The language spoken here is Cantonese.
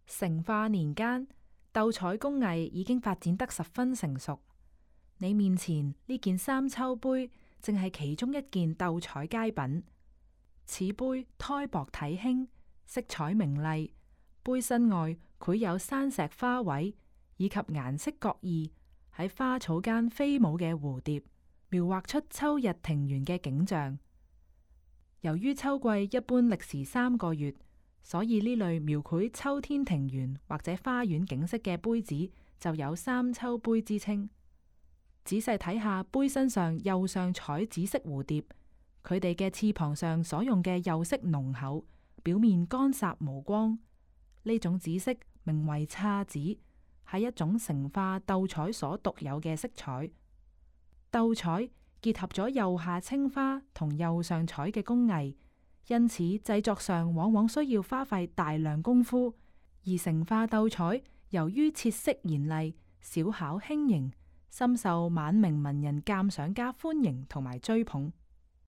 成化年間，鬥彩工藝已經發展得十分成熟。你面前呢件三秋杯，正係其中一件鬥彩佳品。此杯胎薄體輕，色彩明麗，杯身外繪有山石花卉，以及顏色各異，喺花草間飛舞嘅蝴蝶，描畫出秋日庭園嘅景象。由於秋季一般歷時3個月，所以呢類描繪秋天庭園或者花園景色嘅杯子就有三秋杯之稱。仔細睇下杯身上釉上彩紫色蝴蝶，佢哋嘅翅膀上所用嘅釉色濃厚，表面乾澀無光。呢種紫色名為姹紫，係一種成化鬥彩所獨有嘅色彩。鬥彩結合咗釉下青花同釉上彩嘅工藝，因此製作上往往需要花費大量功夫。而成化鬥彩由於設色嚴厲、小巧輕盈，深受晚明文人鑑賞家歡迎同埋追捧。